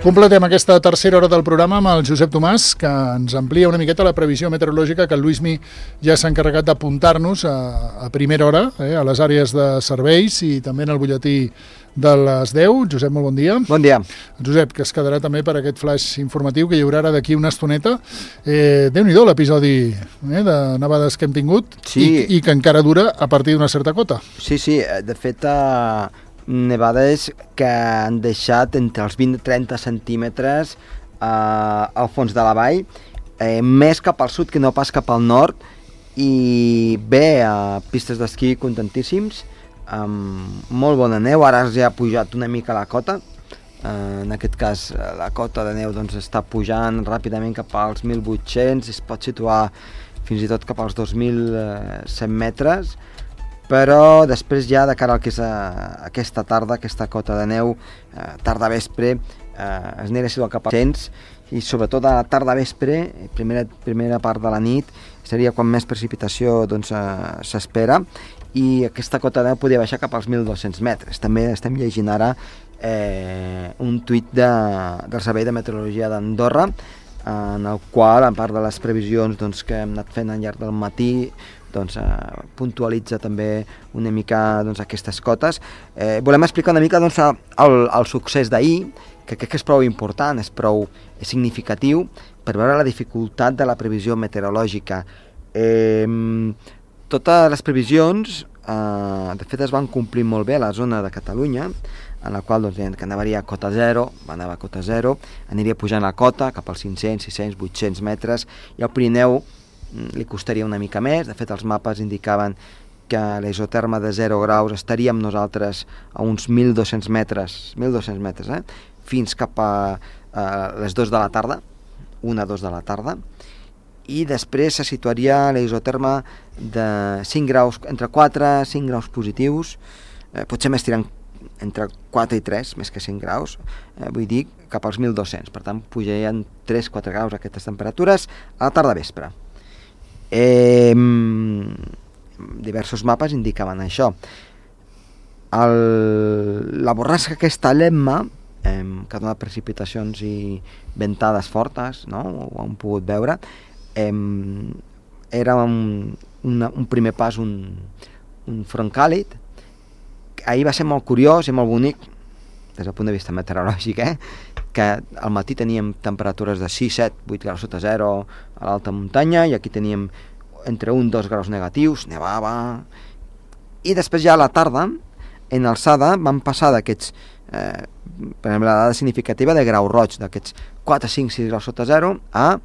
Completem aquesta tercera hora del programa amb el Josep Tomàs, que ens amplia una miqueta la previsió meteorològica que el Luismi ja s'ha encarregat d'apuntar-nos a primera hora, a les àrees de serveis i també en el butlletí de les 10. Josep, molt bon dia. Bon dia. Josep, que es quedarà també per aquest flash informatiu que hi haurà ara d'aquí una estoneta. Déu-n'hi-do l'episodi de nevades que hem tingut, sí. i que encara dura a partir d'una certa cota. Sí, de fet, nevades que han deixat entre els 20 i 30 centímetres al fons de la vall, més cap al sud que no pas cap al nord, i bé, pistes d'esquí contentíssims, amb molt bona neu. Ara ja ha pujat una mica la cota, en aquest cas la cota de neu doncs, està pujant ràpidament cap als 1.800, es pot situar fins i tot cap als 2.100 metres, però després ja de cara al que és aquesta tarda, aquesta cota de neu, tarda vespre, es anirà situant cap als 100, i sobretot a la tarda vespre, primera part de la nit, seria quan més precipitació doncs, s'espera, i aquesta cota de neu podria baixar cap als 1.200 metres. També estem llegint ara un tuit del Servei de Meteorologia d'Andorra, en el qual, a part de les previsions doncs, que hem anat fent al llarg del matí, doncs, puntualitza també una mica doncs, aquestes cotes. Volem explicar una mica doncs, el succés d'ahir, que crec que és prou important, és prou significatiu per veure la dificultat de la previsió meteorològica. Totes les previsions, de fet, es van complir molt bé a la zona de Catalunya, en la qual doncs, que anaria a cota 0, va anar a cota 0, aniria pujant la cota cap als 500, 600, 800 metres, i al Pirineu li costaria una mica més. De fet, els mapes indicaven que l'isoterma de 0 graus estaríem nosaltres a uns 1.200 metres, fins cap a les 2 de la tarda, 1-2 de la tarda, i després se situaria l'isoterma de 5 graus, entre 4 i 5 graus positius, potser més tirant entre 4 i 3, més que 5 graus, vull dir, cap als 1.200. Per tant, pujarien 3-4 graus aquestes temperatures a la tarda vespre. Diversos mapes indicaven això. La borrasca aquesta Lemma, que dona precipitacions i ventades fortes, no? Ho hem pogut veure, era un primer pas, un front càlid. Ahir va ser molt curiós i molt bonic des del punt de vista meteorològic, que al matí teníem temperatures de 6, 7, 8 graus sota 0 a l'alta muntanya, i aquí teníem entre 1 i 2 graus negatius, nevava, i després ja a la tarda, en alçada, van passar d'aquests, per exemple, la dada significativa de grau roig, d'aquests 4, 5, 6 graus sota 0, a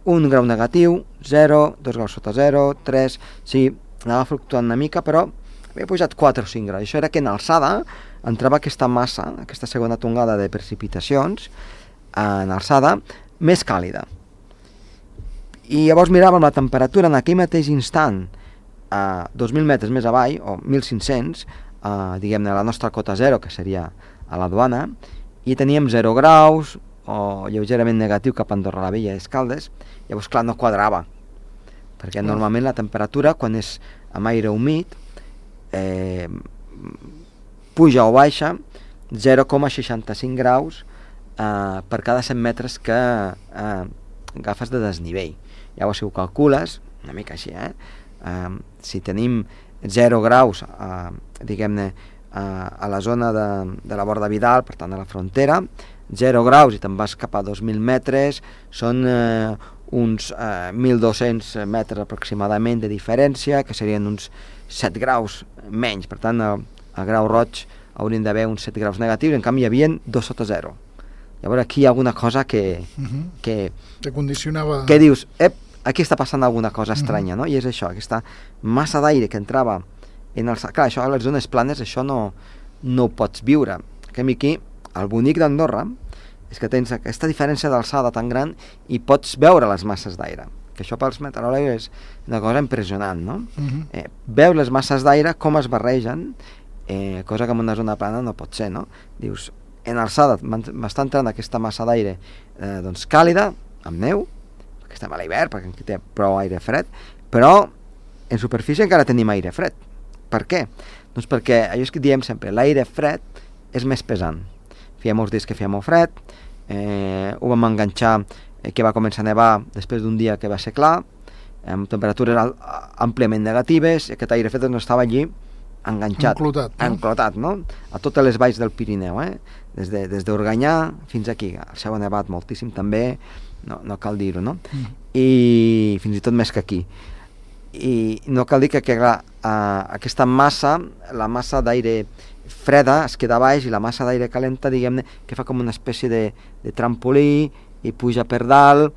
1 grau negatiu, 0, 2 graus sota 0, 3, sí, anava fluctuant una mica, però havia pujat 4 o 5 graus. Això era que en alçada entrava aquesta massa, aquesta segona tongada de precipitacions, en alçada, més càlida. I llavors miràvem la temperatura en aquell mateix instant, a 2.000 metres més avall, o 1.500, diguem-ne, la nostra cota 0, que seria a la Duana, i teníem 0 graus, o lleugerament negatiu cap a Andorra la Vella i Escaldes. Llavors, clar, no quadrava, perquè normalment la temperatura, quan és amb aire humit, puja o baixa 0,65 graus per cada 100 metres que agafes de desnivell. Llavors, si ho calcules, una mica així, si tenim 0 graus, diguem-ne, a la zona de la Borda Vidal, per tant, a la frontera, 0 graus i te'n vas cap a 2.000 metres, són uns 1.200 metres aproximadament de diferència, que serien uns 7 graus menys. Per tant, al grau roig haurien d'haver uns 7 graus negatius, en canvi hi havia 2 sota 0. Llavors aquí hi ha alguna cosa que condicionava... Que dius, aquí està passant alguna cosa estranya, no? I és això, aquesta massa d'aire que entrava en el... Clar, això a les zones planes, això no ho pots viure. Que aquí, el bonic d'Andorra, és que tens aquesta diferència d'alçada tan gran i pots veure les masses d'aire. Que això pels meteoròlegs és una cosa impressionant, no? Veus les masses d'aire, com es barregen, cosa que en una zona plana no pot ser, no? Dius, en alçada m'està entrant aquesta massa d'aire doncs càlida, amb neu, perquè estem a l'hivern, perquè aquí té prou aire fred, però en superfície encara tenim aire fred. Per què? Doncs perquè allò és que diem sempre, l'aire fred és més pesant. feia molts dies que feia molt fred, ho vam enganxar que va començar a nevar després d'un dia que va ser clar, amb temperatures àmpliament negatives, i aquest aire fred no estava allí enganxat, enclotat, no? A totes les valls del Pirineu, des d'Organyà fins aquí. El Seu ha nevat moltíssim també, no cal dir-ho, no? I fins i tot més que aquí. I no cal dir que aquesta massa, la massa d'aire freda es queda baix i la massa d'aire calenta, diguem-ne, que fa com una espècie de trampolí i puja per dalt,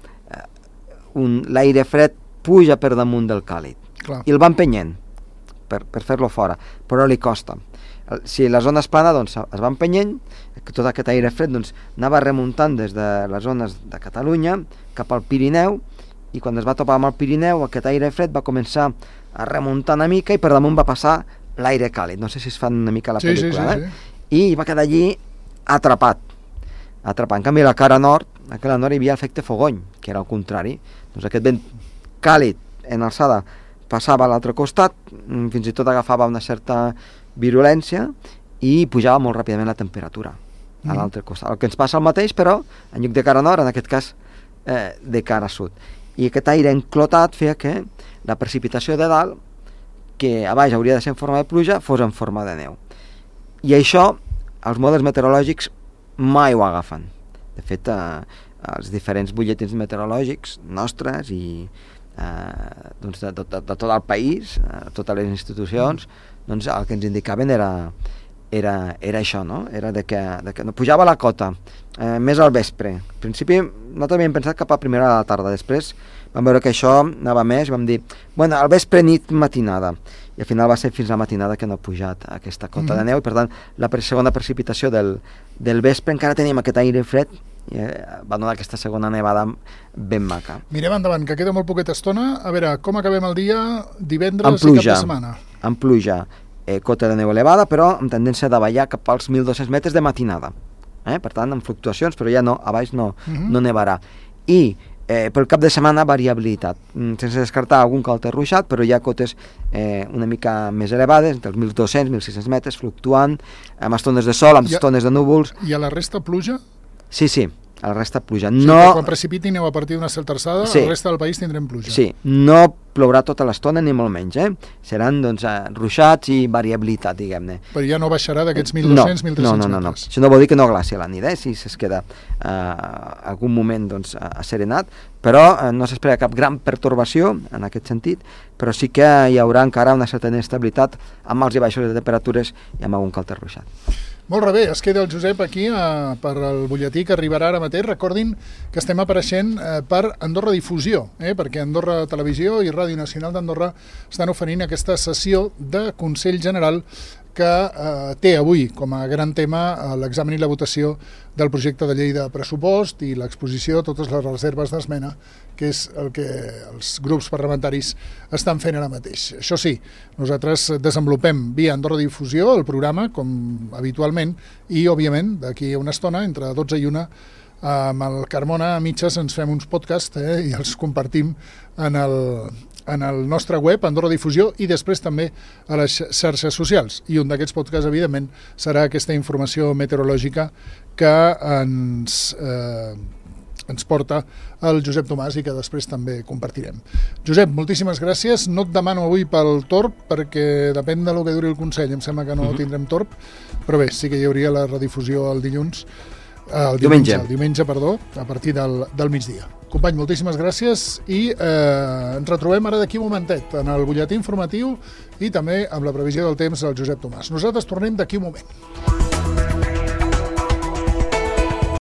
l'aire fred puja per damunt del càlid. Clar. I el va empenyent per fer-lo fora, però li costa. Si la zona és plana, doncs es va empenyent, tot aquest aire fred doncs, anava remuntant des de les zones de Catalunya cap al Pirineu, i quan es va topar amb el Pirineu, aquest aire fred va començar a remuntar una mica i per damunt va passar l'aire càlid. No sé si es fan una mica la pel·lícula, i va quedar allí atrapat. En canvi, a la cara nord hi havia l'efecte fogony, que era al contrari. Doncs aquest vent càlid en alçada passava a l'altre costat, fins i tot agafava una certa virulència i pujava molt ràpidament la temperatura a l'altre costat. El que ens passa el mateix, però en lloc de cara nord, en aquest cas de cara sud. I aquest aire enclotat feia que la precipitació de dalt, que a baix hauria de ser en forma de pluja, fos en forma de neu. I això els models meteorològics mai ho agafen. De fet, els diferents butlletins meteorològics nostres i doncs de tot el país, totes les institucions, doncs el que ens indicaven era això, no? Era de que no pujava la cota, més al vespre. Al principi nosaltres havíem pensat cap a primera hora de la tarda, després vam veure que això anava més i vam dir, bueno, al vespre, nit, matinada, i al final va ser fins a la matinada que no ha pujat aquesta cota de neu, i per tant la segona precipitació del vespre encara teníem aquest aire fred i va donar aquesta segona nevada ben maca. Mirem endavant, que queda molt poqueta estona. A veure, com acabem el dia divendres i cap de setmana? Amb pluja, cota de neu elevada, però amb tendència de ballar cap als 1.200 metres de matinada. Per tant, amb fluctuacions, però ja no, a baix no nevarà. I pel cap de setmana, variabilitat, sense descartar algun calter ruixat, però hi ha cotes una mica més elevades, entre els 1.200 i 1.600 metres, fluctuant, amb estones de sol, amb estones de núvols. I a la resta pluja? Sí, a la resta pluja. Sí, no... Quan precipiti neu a partir d'una certa alçada, a la resta del país tindrem pluja. Sí, no plourà tota l'estona ni molt menys, Seran, doncs, ruixats i variabilitat, diguem-ne. Però ja no baixarà d'aquests 1.200, 1.300 metres. No. Això no vol dir que no glaci a la nit, si es queda algun moment, doncs, asserenat, però no s'espera cap gran pertorbació en aquest sentit, però sí que hi haurà encara una certa inestabilitat amb alts i baixos de temperatures i amb algun calter ruixat. Molt bé, es queda el Josep aquí per al butlletí que arribarà ara mateix. Recordin que estem apareixent per Andorra Difusió, perquè Andorra Televisió i Ràdio Nacional d'Andorra estan oferint aquesta sessió de Consell General que té avui com a gran tema l'examen i la votació del projecte de llei de pressupost i l'exposició de totes les reserves d'esmena, que és el que els grups parlamentaris estan fent ara mateix. Això sí, nosaltres desenvolupem via Andorra Difusió el programa, com habitualment, i, òbviament, d'aquí a una estona, entre 12 i 1, amb el Carmona a mitges ens fem uns podcasts i els compartim en el nostre web, Andorra Difusió, i després també a les xarxes socials. I un d'aquests podcasts, evidentment, serà aquesta informació meteorològica que ens porta el Josep Tomàs i que després també compartirem. Josep, moltíssimes gràcies. No et demano avui pel torb, perquè depèn del que duri el Consell. Em sembla que no tindrem torb, però bé, sí que hi hauria la redifusió el diumenge, a partir del migdia. Company, moltíssimes gràcies i ens retrobem ara d'aquí un momentet en el butlletí informatiu i també amb la previsió del temps del Josep Tomàs. Nosaltres tornem d'aquí un moment.